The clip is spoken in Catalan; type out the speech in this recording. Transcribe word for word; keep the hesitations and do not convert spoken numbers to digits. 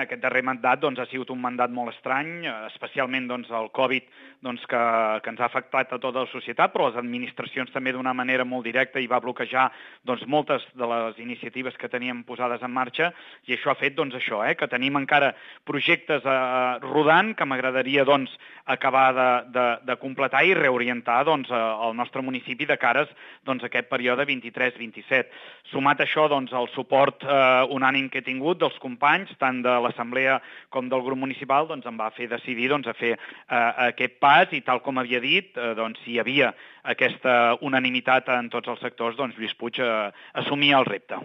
Aquest darrer mandat doncs, ha sigut un mandat molt estrany, especialment doncs, el Covid doncs, que, que ens ha afectat a tota la societat, però les administracions també d'una manera molt directa i va bloquejar doncs, moltes de les iniciatives que teníem posades en marxa i això ha fet doncs, això, eh, que tenim encara projectes eh, rodant que m'agradaria doncs, acabar de, de, de completar i reorientar doncs, el nostre municipi de cares doncs, a aquest període vint-i-tres vint-i-set. Sumat a això doncs, el suport eh, unànim que he tingut dels companys, tant de l'Assemblea com del grup municipal, doncs, em va fer decidir doncs, a fer eh, aquest pas i tal com havia dit, eh, doncs, si hi havia aquesta unanimitat en tots els sectors, doncs Lluís Puig eh, assumia el repte.